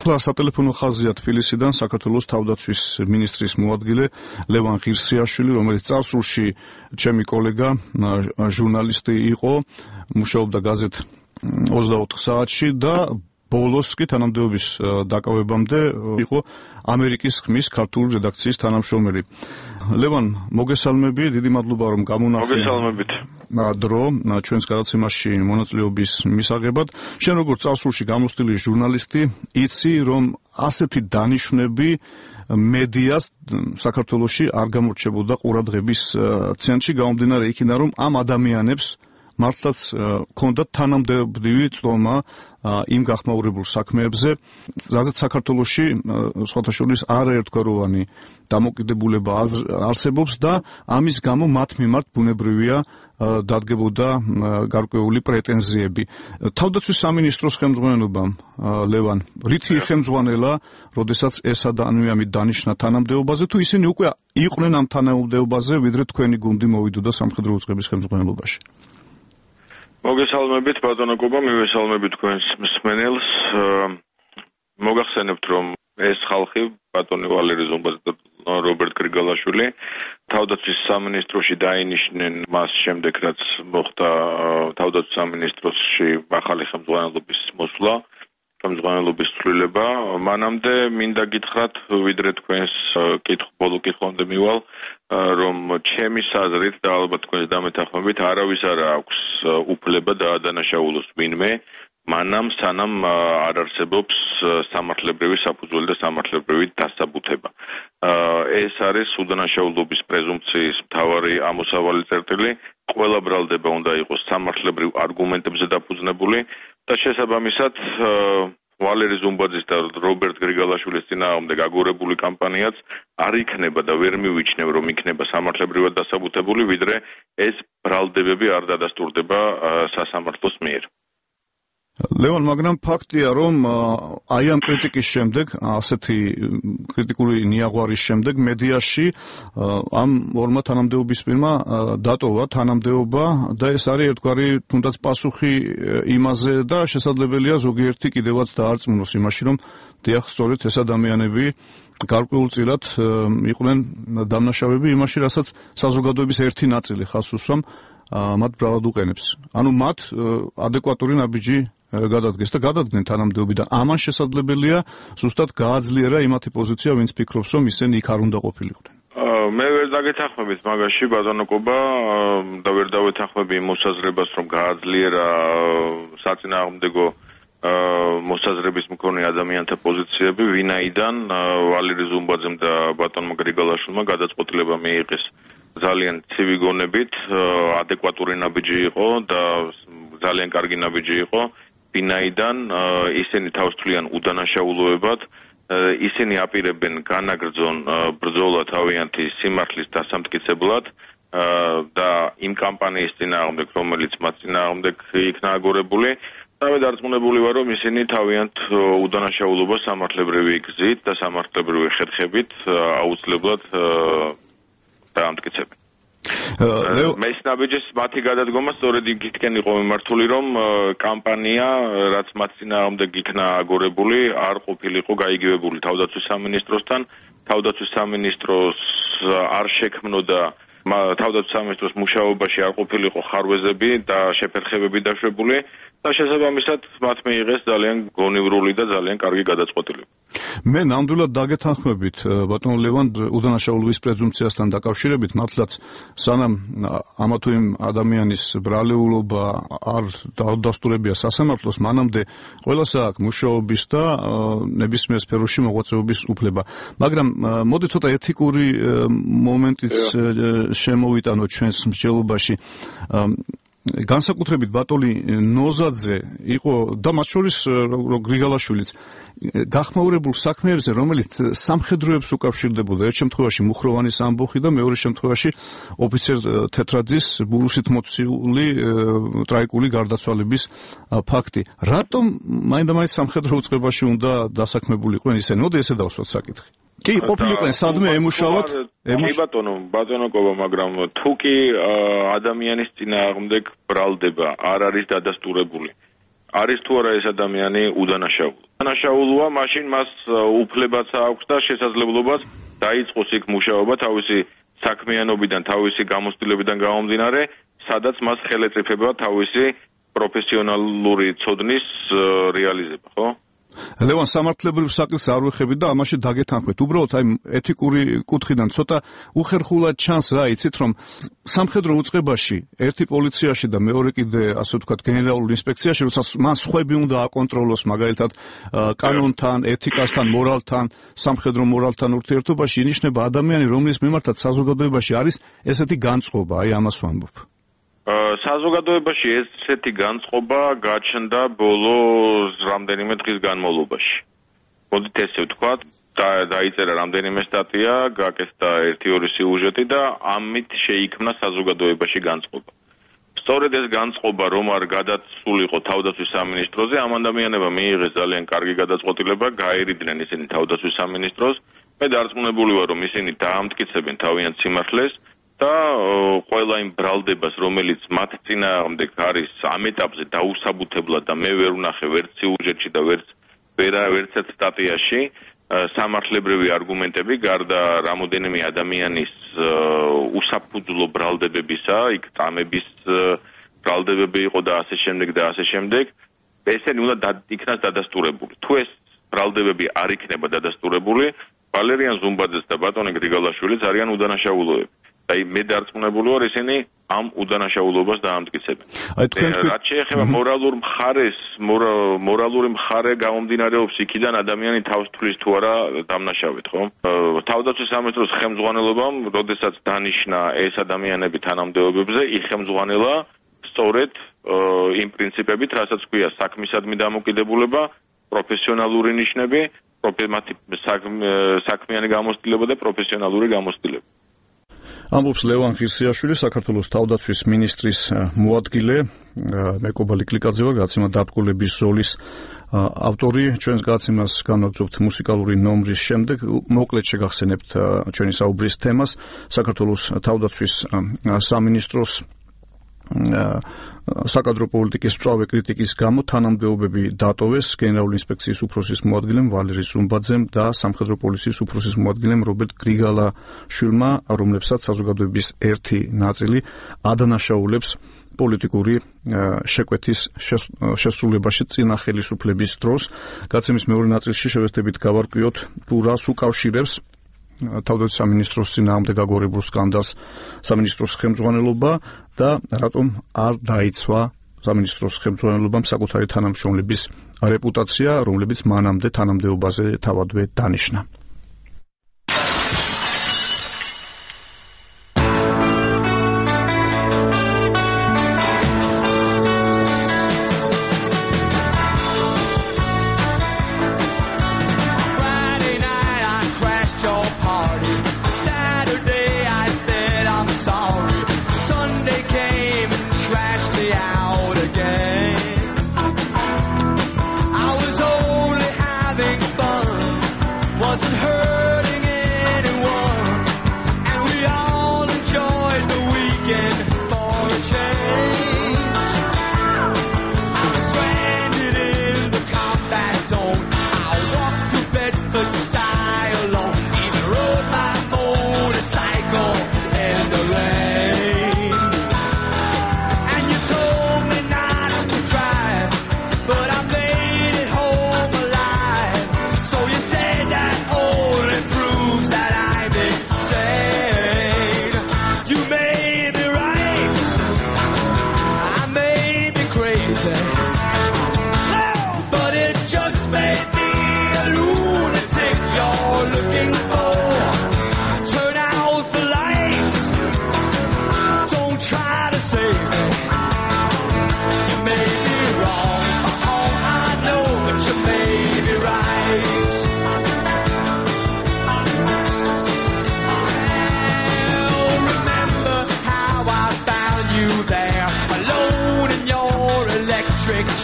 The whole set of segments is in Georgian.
ახლა სატელეფონო ხაზია თბილისიდან საქართველოს თავდაცვის მინისტრის მოადგილე ლევან ღირსიაშვილი, რომელიც წარსულში ჩემი კოლეგა, ჟურნალისტი იყო, მუშაობდა გაზეთ 24 საათში და ბოლოს კი თანამდებობის დაკავებამდე იყო ამერიკის ხმის ქართული რედაქციის თანამშრომელი. ლევან, მოგესალმები, დიდი მადლობა რომ გამონახე. მოგესალმებით. დრო ჩვენს გადაცემაში მონაწილეობის მისაღებად. შენ როგორც წარსულში გამოცდილი ჟურნალისტი, იცი რომ ასეთი დანიშვნები მედიას საქართველოში არ გამორჩებოდა ყურადღების ცენტრში, გამომდინარე იქიდან რომ ამ ადამიანებს მართლაც ჰქონდათ თანამდებობრივი წლომა იმ გახმაურებულ საქმეებზე, რაზეც საქართველოში სხვათა შორის არაერთგვაროვანი დამოკიდებულება არსებობს და ამის გამო მათ მიმართ ბუნებრივია დადგებოდა გარკვეული პრეტენზიები. თავდაცვის სამინისტროს ხელმძღვანელობამ, ლევან, რითი ხელმძღვანელა, როდესაც ეს ადამიანები დანიშნა თანამდებობაზე, თუ ისინი უკვე იყვნენ ამ თანამდებობაზე, ვიდრე თქვენი გუნდი მოვიდოდა სამხედრო უწყების ხელმძღვანელობაში? მოგესალმებით ბატონო კობა, მივესალმებით თქვენს მსმენელს. მოგახსენებთ რომ ეს ხალხი ბატონი ვალერი ზუმბაძე და რობერტ გრიგალაშვილი თავდაცვის სამინისტროში დაინიშნენ მას შემდეგ რაც მოხდა თავდაცვის სამინისტროში ახალი ხელმძღვანელობის მოსვლა, ხელმძღვანელობის ცვლილება. მანამდე მინდა გითხრათ, ვიდრე თქვენს ბოლო კითხვამდე მივალ, რომ ჩემის აზრით და ალბათ თქვენს დამეთანხმებით არავის არ აქვს უფლება დაადანაშაულოს ვინმე, მანამ სანამ არ არსებობს სამართლებრივი საფუძველი და სამართლებრივი დასაბუთება. ეს არის უდანაშაულობის პრეზუმპციის მთავარი ამოსავალი წერტილი. ყველა ბრალდება უნდა იყოს სამართლებრივ არგუმენტებზე დაფუძნებული და შესაბამისად ვალერი ზუმბაძის და რობერტ გრიგალაშვილის წინააღმდეგ აგორებული კამპანიაც არ იქნება და ვერ მივიჩნევ რომ იქნება სამართლებრივად დასაბუთებული, ვიდრე ეს ბრალდებები არ დადასტურდება სასამართლოს მიერ. ლევან, მაგრამ ფაქტია, რომ აი ამ კრიტიკის შემდეგ, ასეთი კრიტიკული ნიაღვარის შემდეგ მედიაში ამ ორმა თანამდებობისპირმა დატოვა თანამდებობა და ეს არის ერთგვარი თუნდაც პასუხი იმაზე და შესაძლებელია ზოგიერთი კიდევაც დაარწმუნოს იმაში, რომ დიახ, სწორედ ეს ადამიანები გარკვეულწილად იყვნენ დამნაშავეები იმაში, რასაც საზოგადოების ერთი ნაწილი ხაზს უსვამ მათ ბრალად უყენებს. ანუ მათ ადეკვატური ნაბიჯი გადადგეს და გადადგნენ თანამდებობიდან. ამან შესაძლებელია ზუსტად გააძლიერა იმათი პოზიცია, ვინც ფიქრობს, რომ ისინი იქ არ უნდა ყოფილიყვნენ. მე ვერ დაგეთანხმებით მაგაში ბატონო კობა და ვერ დავეთანხმები იმ მოსაზრებას, რომ გააძლიერა საწინააღმდეგო მოსაზრების მქონე ადამიანთა პოზიციები, ვინაიდან ვალერი ზუმბაძემ და ბატონმა გრიგალაშვილმა გადაწყვეტილება მიიღეს ძალიან ცივი გონებით, ადეკვატური ნაბიჯი იყო და ძალიან კარგი ნაბიჯი იყო, ვინაიდან ისინი თავს თვლიან უდანაშაულოებად, ისინი აპირებენ განაგრძონ ბრძოლა თავიანთი სიმართლის დასამტკიცებლად და იმ კამპანიის წინააღმდეგ, რომელიც მათ წინააღმდეგ იქნა აგორებული. დავე დარწმუნებული ვარ, რომ ისინი თავიანთ უდანაშაულობას სამართლებრივი გზით და სამართლებრივი ხერხებით აუცილებლად დაამტკიცებენ. მეც ნაბიჯის მათი გადადგომა სწორედ იქითკენ იყო მიმართული, რომ კამპანია, რაც მათ წინააღმდეგ იქნა აგორებული, არ ყოფილიყო გაიგივებული თავდაცვის სამინისტროსთან. თავდაცვის სამინისტროს არ შექმნოდა თავდაცვის სამინისტროს მუშაობაში არ ყოფილიყო ხარვეზები და შეფერხებები დაშვებული და შესაბამისად მათ მიიღეს ძალიან გონივრული და ძალიან კარგი გადაწყვეტილება. მე ნამდვილად დაგეთანხმებით ბატონ ლევან უდანაშაულობის პრეზუმპციასთან დაკავშირებით, მართლაც სანამ ამა თუ იმ ადამიანის ბრალეულობა არ დაუდასტურებია სასამართლოს, მანამდე ყველას აქვს მუშაობის და ნებისმიერ სფეროში მოღვაწეობის უფლება. მაგრამ მოდი ცოტა ეთიკური მომენტიც შემოვიტანოთ ჩვენს მსჯელობაში. განსაკუთრებით ბატონი ნოზაძე იყო და მათ შორის გრიგალაშვილიც გახმაურებულ საქმეებზე, რომელიც სამხედროებს უკავშირდებოდა, ერთ შემთხვევაში მუხროვანის ამბოხი და მეორე შემთხვევაში ოფიცერ თეთრაძის ბურუსით მოცული ტრაიკული გარდაცვალების ფაქტი. რატომ მაინდა-მაინც სამხედრო უწყებაში უნდა დასაქმებულიყვნენ ისინი? მოდი ესე დავსვათ საკითხი. კი, ყოფილიყვნენ სადმე ემუშავათ? ბატონო კობა, მაგრამ თუ კი ადამიანის წინააღმდეგ ბრალდება არ არის დადასტურებული არის თუ არა ეს ადამიანი უდანაშაულო. udანაშაულოა, მაშინ მას უფლებაც აქვს და შესაძლებლობაც დაიწყოს იქ მუშაობა თავისი საქმიანობიდან, თავისი გამოცდილებიდან გამომდინარე, სადაც მას ხელეწიფება თავისი პროფესიონალური ცოდნის რეალიზება, ხო? ლევან, სამართლებრივ საკითხს არ ვეხებით და ამაში დაგეთანხმეთ. უბრალოდ აი ეთიკური კუთხიდან ცოტა უხერხულად ჩანს რა, იცით რომ სამხედრო უწყებაში, ერთი პოლიციაში და მეორე კიდე ასე ვთქვათ გენერალურ ინსპექციაში, როდესაც მან სხვები უნდა აკონტროლოს მაგალითად კანონთან, ეთიკასთან, მორალთან, სამხედრო მორალთან ურთიერთობაში ინიშნება ადამიანი, რომლის მიმართაც საზოგადოებაში არის ესეთი განწყობა, აი ამას ვამბობ. საზოგადოებაში ესეთი განწყობა გაჩნდა ბოლო რამდენიმე დღის განმავლობაში. მოდით ესე ვთქვათ, დაიწერა რამდენიმე სტატია, გაკეთდა 1-2 სიუჟეტი და ამით შეიქმნა საზოგადოებაში განწყობა. სწორედ ეს განწყობა რომ არ გადასულიყო თავდაცვის სამინისტროზე, ამ ადამიანებმა მიიღეს ძალიან კარგი გადაწყვეტილება, გაერიდნენ ისინი თავდაცვის სამინისტროს. მე დარწმუნებული ვარ, რომ ისინი დაამტკიცებენ თავიანთ სიმართლეს და ყველა იმ ბრალდებას, რომელიც მათ წინააღმდეგ არის ამ ეტაპზე დაუსაბუთებლად და მე ვერ ვნახე ვერც სიუჟეტში და ვერცერთ სტატიაში სამართლებრივი არგუმენტები გარდა რამოდენიმე ადამიანის უსაფუძვლო ბრალდებებისა, იქ წამების ბრალდებები იყო და ასე შემდეგ, ესენი უნდა იქნას დადასტურებული. თუ ეს ბრალდებები არ იქნება დადასტურებული, ვალერიან ზუმბაძეს და ბატონი გრიგალაშვილიც არიან udანაშაულოები. აი მე დარწმუნებული ვარ ისინი ამ udანაშაულობას დაამტკიცებენ. რაც შეეხება მორალური მხარე გამომდინარეობს იქიდან ადამიანი თავს თვლის თუ არა დამნაშავედ, ხო? თავდაცვის სამინისტროს ხელმძღვანელობამ, როდესაც დანიშნა ეს ადამიანები თანამდებობებზე, იხელმძღვანელა სწორედ იმ პრინციპებით, რასაც ქვია საქმისადმი დამოკიდებულება, პროფესიონალური ნიშნები, საქმიანი გამოცდილება და პროფესიონალური გამოცდილება. ამბობს ლევან ღირსიაშვილი, საქართველოს თავდაცვის მინისტრის მოადგილე, მეკობალი კლიკაძე ვარ, გაცემა დაბკოლების ზოლის ავტორი. ჩვენს გაცემას განვაგრძობთ მუსიკალური ნომრის შემდეგ. მოკლედ შეგახსენებთ ჩვენი საუბრის თემას. საქართველოს თავდაცვის სამინისტროს საკადრო პოლიტიკის მწვავე კრიტიკის გამო თანამდებობები დატოვეს გენერალური ინსპექციის უფროსის მოადგილემ ვალერი ზუმბაძემ და სამხედრო პოლიციის უფროსის მოადგილემ რობერტ გრიგალაშვილმა, რომლებსაც საზოგადოების ერთი ნაწილი ადანაშაულებს პოლიტიკური შეკვეთის შესრულებაში წინა ხელისუფლების დროს. გაცემის მეორე ნაწილში შევეცდებით გავარკვიოთ თუ რას უკავშირებს თავდაცვის სამინისტროს წინააღმდეგ აგორებულ სკანდალს სამინისტროს ხელმძღვანელობა და რატომ არ დაიცვა სამინისტროს ხელმძღვანელობამ საკუთარი თანამშრომლების რეპუტაცია, რომლებიც მანამდე თანამდებობაზე თავადვე დანიშნა.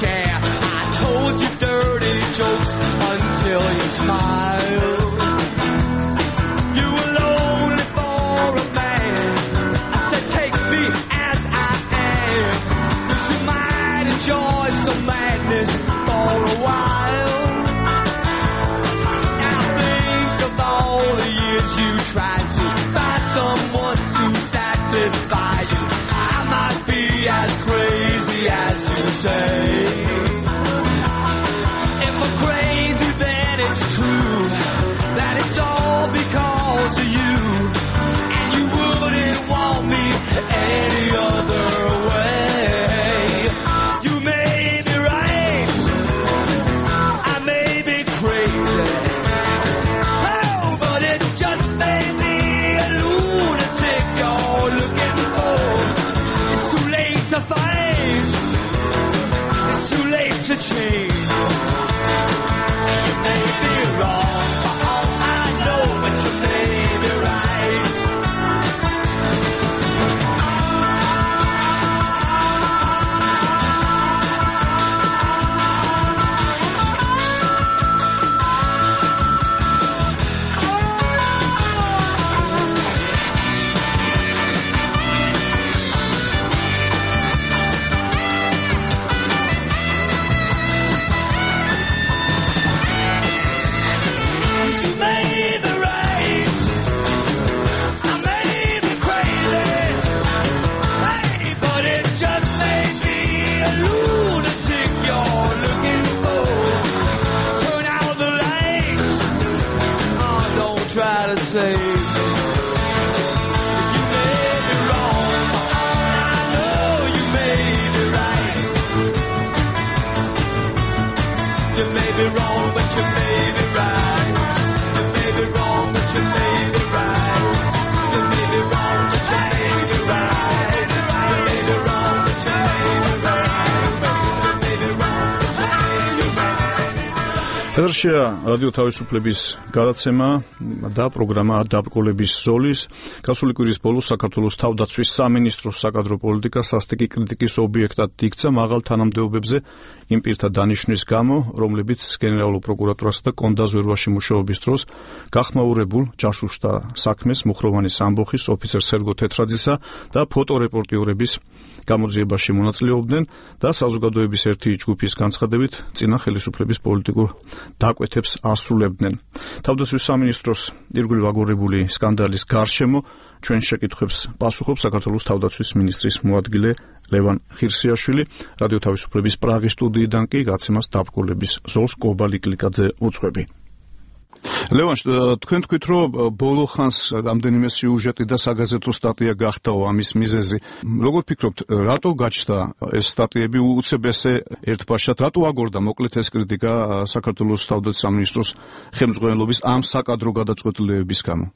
Chair. I told you dirty jokes until you smiled. You were lonely for a man. I said take me as I am, 'cause you might enjoy some madness. and it's true that it's all because of you, and you wouldn't want me any other way. You may be right, I may be crazy, oh, but it just may be a lunatic you're looking for. It's too late to fight, it's too late to change. You may be wrong for all I know, but you may be right. Save me. You may be wrong, I know you may be right. You may be wrong, but you may be right. You may be wrong, but you may be right. You may be wrong, but you may be right. You may be wrong, but you may be right. You may be wrong, but you may be right. Ერშია რადიო თავისუფლების გადაცემა და პროგრამა დაბრკოლების ზოლის გასული კვირის ბოლოს საქართველოს თავდაცვის სამინისტროს საკადრო პოლიტიკა სასტიკი კრიტიკის ობიექტად იქცა მაღალ თანამდებობებზე იმ პირთა დანიშვნის გამო, რომლებიც გენერალურ პროკურატურასა და კონდაზვერვაში მუშაობის დროს გახმაურებულ ჯაშუშთა საქმეს მუხროვანის ამბოხის ოფიცერ სერგო თეთრაძისა და ფოტორეპორტიორების გამოძიებაში მონაწილეობდნენ და საზოგადოების ერთი ჯგუფის განცხადებით წინა ხელისუფლების პოლიტიკურ დაკვეთებს ასრულებდნენ. თავდაცვის სამინისტროს ირგვლივ აგორებული სკანდალის გარშემო ჩვენ შეკითხვებს პასუხობს საქართველოს თავდაცვის მინისტრის მოადგილე ლევან ხირსიაშვილი. რადიო თავისუფლების პრაღის სტუდიიდან კი გაცემას დაბრკოლების ზოლს კობალი კლიკაძე უძღვები. ლევან, თქვენ თქვით, რომ ბოლო ხანს რამდენიმე სიუჟეტი და საგაზეთო სტატია გახდაო ამის მიზეზი. როგორ ფიქრობთ, რატო გაჩნდა ეს სტატიები უცებ ესე ერთბაშად, რატო აგორდა მოკლედ ეს კრიტიკა საქართველოს თავდაცვის სამინისტროს ხელმძღვანელობის ამ საკადრო გადაწყვეტილებების გამო?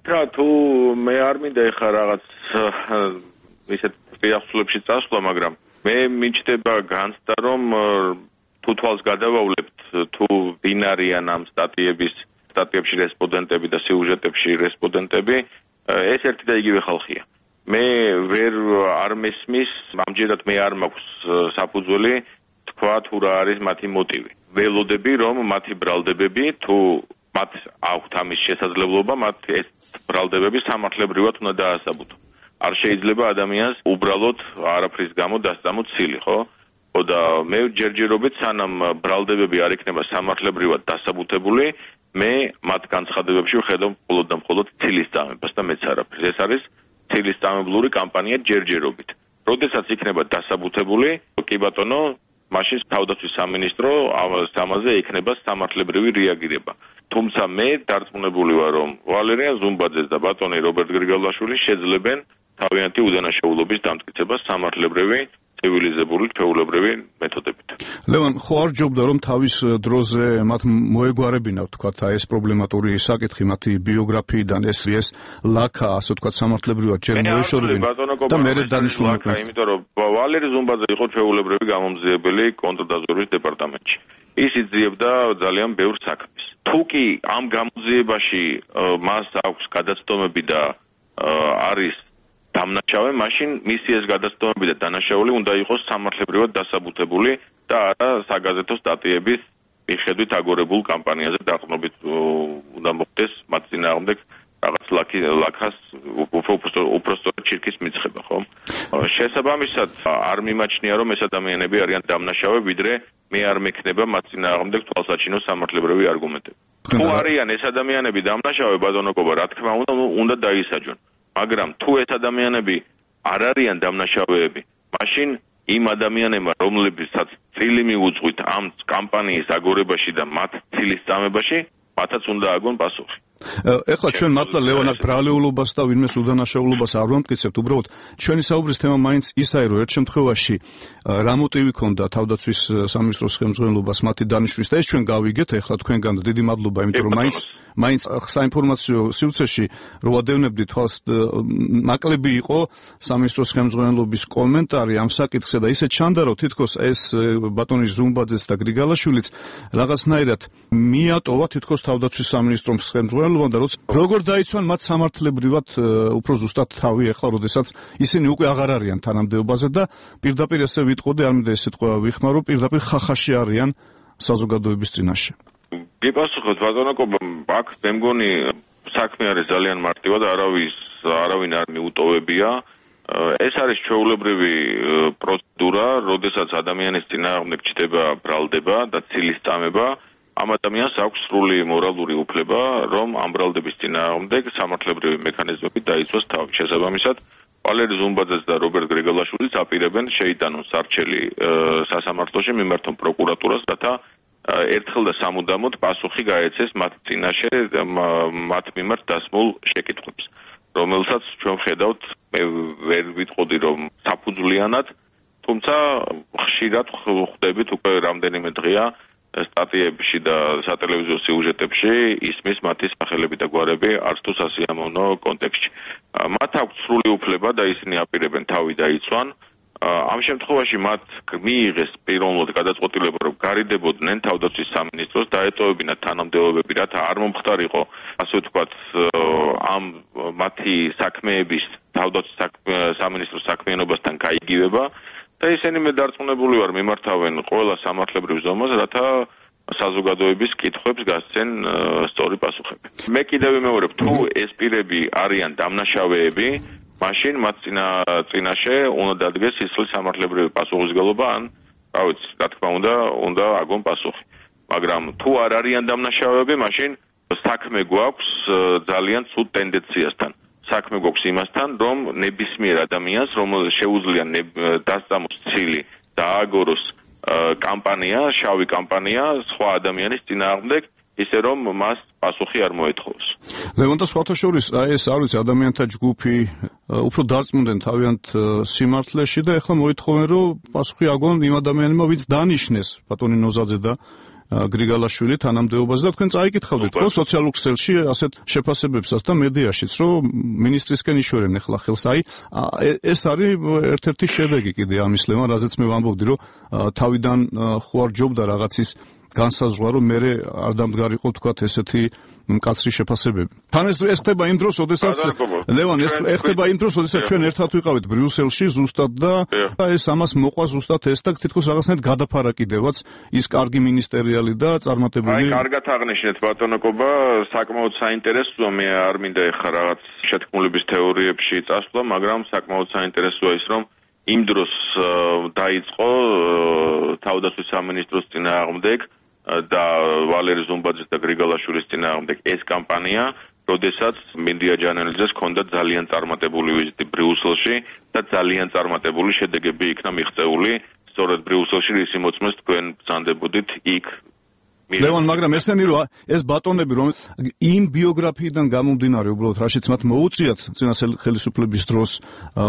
რა თუ მე არ მინდა ეხლა რაღაც ისეთ პირახსულებში წასვლა, მაგრამ მე მიჩნდება განცდა, რომ თუ თვალს გადავავლებთ, თუ ვინ არიან ამ სტატიებში რესპონდენტები და სიუჟეტებში რესპონდენტები, ეს ერთი და იგივე ხალხია. მე არ მესმის, ამჯერად მე არ მაქვს საფუძველი თქვა თუ რა არის მათი მოტივი. ველოდები, რომ მათი ბრალდებები თუ მათ აქვთ ამის შესაძლებლობა, მათ ეს ბრალდებები სამართლებრივად უნდა დაასაბუთო. არ შეიძლება ადამიანს უბრალოდ არაფრის გამო დასწამოთ ცილი, ხო? და მე ჯერჯერობით სანამ ბრალდებები არ იქნება სამართლებრივად დასაბუთებული, მე მათ განცხადებებში ვხედავ მხოლოდ და მხოლოდ ცილის წამებას და მეც არაფერს. ეს არის ცილის წამებლური კამპანია ჯერჯერობით. როდესაც იქნება დასაბუთებული, კი ბატონო, მაშინ თავდაცვის სამინისტრო ამაზე იქნება სამართლებრივი რეაგირება. თუმცა მე დარწმუნებული ვარ, რომ ვალერიან ზუმბაძეს და ბატონი რობერტ გრიგალაშვილი შეძლებენ თავიანთი უდანაშაულობის დამტკიცებას სამართლებრივი ცივილიზებული ჩვეულებრივი მეთოდებით. ლევან, ხო არ ჯობდა რომ თავის დროზე მათ მოეგვარებინათ თქვათ ეს პრობლემატური საკითხი მათი ბიოგრაფიიდან ეს ლაქა ასე თქვათ სამართლებრივად ჯერ მოეშორებინა და მე დანიშნულმა, იმიტომ რომ ვალერი ზუმბაძე იყო ჩვეულებრივი გამომძიებელი კონტრდაზვერვის დეპარტამენტში. ის იძიებდა ძალიან ბევრ საქმეს. თუ კი ამ გამოძიებაში მას აქვს გადაცდომები და არის დამნაშავე, მაშინ მისი ეს გადაცდომები და დანაშაული უნდა იყოს სამართლებრივად დასაბუთებული და არა საგაზეთო სტატიების მიხედვით აგორებულ კამპანიაზე დაყრდნობით უნდა მოხდეს მათ წინააღმდეგ რაღაც ლაქას უпростоრად ჩირქის მიცხება, ხო? შესაბამისად არ მიმაჩნია, რომ ეს ადამიანები არიან დამნაშავე, ვიდრე მე არ მექნება მათ წინააღმდეგ თვალსაჩინო სამართლებრივი არგუმენტები. თუ არიან ეს ადამიანები დამნაშავე, ბატონო კობა, რა თქმა უნდა დაისაჯონ. მაგრამ თუ ეს ადამიანები არ არიან დამნაშავეები, მაშინ იმ ადამიანებმა, რომლებსაც წილი მიუძღვით ამ კამპანიის აგორებაში და მათ ცილის წამებაში, მათაც უნდა აგონ პასუხი. ეხლა ჩვენ მართლა ლევან აქ ბრალეულობას და ვინმეს უდანაშაულობას არ ვამტკიცებთ, უბრალოდ ჩვენი საუბრის თემა მაინც ისაა, რომ ერთ შემთხვევაში რა მოტივი ქონდა თავდაცვის სამინისტროს ხელმძღვანელობას მათი დანიშვნის და ეს ჩვენ გავიგეთ, ეხლა თქვენგან დიდი მადლობა, იმიტომ რომ მაინც საინფორმაციო სივრცეში რო ვადევნებდი თვალს, ნაკლები იყო სამინისტროს ხელმძღვანელობის კომენტარი ამ საკითხზე და ისე ჩანდა, რომ თითქოს ეს ბატონი ზუმბაძეს და გრიგალაშვილიც რაღაცნაირად მიატოვა თითქოს თავდაცვის სამინისტროს ხელმძღვანელობას და როგორ დაიცვან მათ სამართლებრივად უფრო ზუსტად თავი ეხლა, როდესაც ისინი უკვე აღარ არიან თანამდებობაზე და პირდაპირ ესე ვიტყოდი, არ მინდა ეს სიტყვა ვიხმარო, პირდაპირ ხახაში არიან საზოგადოების წინაშე. გიპასუხოთ ბატონო კობა, აქ მე მგონი საქმე არის ძალიან მარტივად, არავინ არ მიუტოვებია. ეს არის ჩვეულებრივი პროცედურა, როდესაც ადამიანის წინააღმდეგ ჩდება ბრალდება და ცილის წამება, ამ ადამიანს აქვს სრული მორალური უფლება, რომ ამ ბრალდების წინააღმდეგ სამართლებრივი მექანიზმებით დაიცვას თავი. შესაბამისად, ვალერი ზუმბაძეს და რობერტ გრიგალაშვილიც აპირებენ შეიტანონ სარჩელი სასამართლოში, მიმართონ პროკურატურას, რათა ერთხელ და სამუდამოდ პასუხი გაეცეს მათ წინაშე მათ მიმართ დასმულ შეკითხვებს, რომელსაც ჩვენ ხედავთ, მე ვერ ვიტყოდი რომ საფუძვლიანად, თუმცა ხშირად ხვდებით უკვე რამდენიმე დღეა სტატიებში და სატელევიზიო სიუჟეტებში ისმის მათი სახელები და გვარები არც თუ სასიამოვნო კონტექსტში. მათ აქვს სრული უფლება და ისინი აპირებენ თავი დაიცვან. ამ შემთხვევაში მათ მიიღეს პიროვნულად გადაწყვეტილება, რომ გარიდებოდნენ თავდაცვის სამინისტროს, დაეტოვებინათ თანამდებობები, რათა არ მომხდარიყო, ასე ვთქვათ, ამ მათი საქმეების თავდაცვის სამინისტროს საქმიანობასთან გაიგივება და ისინი მე დარწმუნებული ვარ მიმართავენ ყველა სამართლებრივ ზომას, რათა საზოგადოების კითხვებს გასცენ სწორი პასუხები. მე კიდევ ვიმეორებ, თუ ეს პირები არიან დამნაშავეები, მაშინ მათ წინაშე უნდა დადგეს სისხლის სამართლებრივი პასუხისმგებლობა, ან რა ვიცი, რა თქმა უნდა აგონ პასუხი. მაგრამ თუ არ არიან დამნაშავეები, მაშინ საქმე გვაქვს ძალიან ცუდ ტენდენციასთან. საქმე გვაქვს იმასთან, რომ ნებისმიერ ადამიანს, რომელსაც შეუძლია დასწამოს ცილი და ააგოროს კამპანია, შავი კამპანია სხვა ადამიანის წინააღმდეგ, ისე რომ მას პასუხი არ მოეთხოვს. ლევან და სხვათა შორის, ეს არ ვიცი, ადამიანთა ჯგუფი უფრო დარწმუნდნენ თავიანთ სიმართლეში და ეხლა მოითხოვენ, რომ პასუხი აგონ იმ ადამიანებმა, ვინც დანიშნეს ბატონი ნოზაძე და გრიგალაშვილი თანამდებობაზე და თქვენ წაიკითხავდით ხო სოციალურ ქსელში ასეთ შეფასებებსაც და მედიაშიც, რომ მინისტრისკენ იშორენ ეხლა ხელს. ეს არის ერთ-ერთი შედეგი კიდე ამის, ლევან, რაზეც მე ვამბობდი, რომ თავიდან ხო არ ჯობდა რაღაცის განსაზღვრა, რომ მე არ დამდგარიყო თქვათ ესეთი მკაცრი შეფასებები. თან ეს ხდება იმ დროს, როდესაც ლევან, ეს ხდება იმ დროს, როდესაც ჩვენ ერთად ვიყავით ბრიუსელში ზუსტად და ეს ამას მოყვა ზუსტად ეს და თითქოს რაღაცნაირად გადაფარა კიდევაც ის კარგი მინისტერიალი და წარმატებული. კარგად აღნიშნეთ ბატონო კობა, საკმაოდ საინტერესოა, მე არ მინდა ეხლა რაღაც შეთქმულების თეორიებში წასვლა, მაგრამ საკმაოდ საინტერესოა ის, რომ იმ დროს დაიწყო თავდაცვის სამინისტროს წინააღმდეგ და ვალერი ზუმბაძის და გრიგალაშვილის წინააღმდეგ ეს კამპანია, როდესაც მინდია ჯანელიძეს ჰქონდა ძალიან წარმატებული ვიზიტი ბრიუსელში და ძალიან წარმატებული შედეგები იქნა მიღწეული, სწორედ ბრიუსელში, რის მოწმეს თქვენ ბრძანდებოდით იქ. ლევან, მაგრამ ესენი რომ ეს ბატონები, რომ იმ ბიოგრაფიიდან გამომდინარე, უბრალოდ რაშიც მათ მოუწიათ წინა ხელისუფლების დროს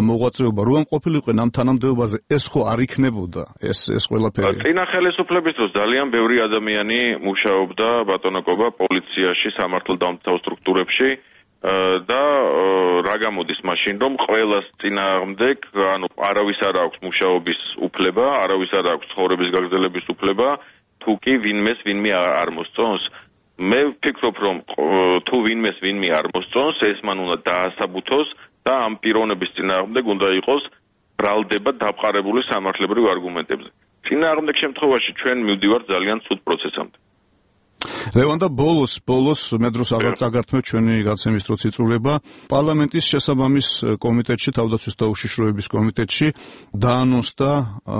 მოღვაწეობა, რომ ამ ყოფილიყვენ ამ თანამდებობაზე, ეს ხო არ იქნებოდა ეს ყველაფერი. წინა ხელისუფლების დროს ძალიან ბევრი ადამიანი მუშაობდა ბატონო კობა პოლიციაში, სამართალდამცავ სტრუქტურებში და რა გამოდის მაშინ, რომ ყველას წინააღმდეგ, ანუ არავის არ აქვს მუშაობის უფლება, არავის არ აქვს ცხოვრების გაგრძელების უფლება. თუ კი ვინმე არ მოსწონს, მე ვფიქრობ, რომ თუ ვინმე არ მოსწონს, ეს მან უნდა დაასაბუთოს და ამ პიროვნების წინააღმდეგ უნდა იყოს ბრალდება დაფყარებული სამართლებრივ არგუმენტებზე. წინააღმდეგ შემთხვევაში ჩვენ მივდივართ ძალიან ცუდ პროცესამდე. ლევან და ბოლოს მე დროს აღარ წაგართმევ ჩვენი გაცემის დროც იწურება პარლამენტის შესაბამის კომიტეტში, თავდაცვის და უშიშროების კომიტეტში დაანონსდა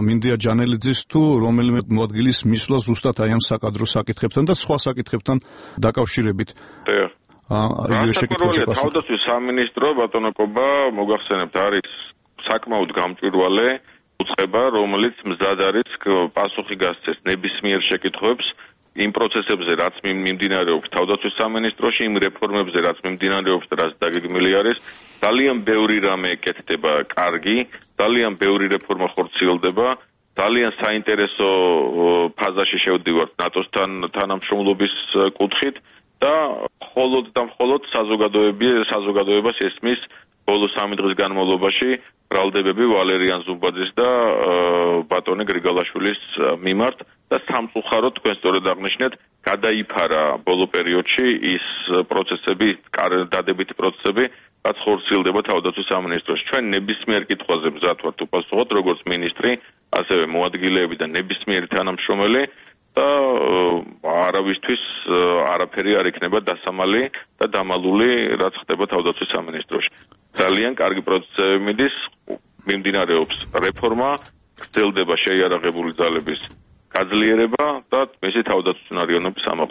მინდია ჯანელიძის თუ რომელიმე მოადგილის მისვლა ზუსტად აი ამ საკადრო საკითხებთან და სხვა საკითხებთან დაკავშირებით. თავდაცვის სამინისტრო ბატონო კობა, მოგახსენებთ, არის საკმაოდ გამჭვირვალე, უწყება, რომელიც მზად არის პასუხი გასცეს ნებისმიერ შეკითხვებს იმ პროცესებზე, რაც მიმდინარეობს თავდაცვის სამინისტროში, იმ რეფორმებზე, რაც მიმდინარეობს და რაც დაგეგმილი არის, ძალიან ბევრი რამე ეკეთდება კარგი, ძალიან ბევრი რეფორმა ხორციელდება, ძალიან საინტერესო ფაზაში შევდივართ ნატოსთან თანამშრომლობის კუთხით და მხოლოდ საზოგადოებას ესმის ბოლო 3 დღის განმავლობაში ბრალდებები ვალერიან ზუმბაძის და ბატონი გრიგალაშვილის მიმართ და სამწუხაროდ თქვენ სწორედ აღნიშნეთ, გადაიფარა ბოლო პერიოდში ის პროცესები, დადებითი პროცესები, რაც ხორციელდება თავდაცვის სამინისტროში. ჩვენ ნებისმიერ კითხვაზე მზად ვართ უპასუხოთ, როგორც მინისტრი, ასევე მოადგილეები და ნებისმიერი თანამშრომელი და არავისთვის არაფერი არ იქნება დასამალი და დამალული, რაც ხდება თავდაცვის სამინისტროში. ძალიან კარგი პროცესები მიდის, მიმდინარეობს რეფორმა, გრძელდება შეიარაღებული ძალების გაძლიერება და მისი თავდაცვის უნარიანობის ამაღლება.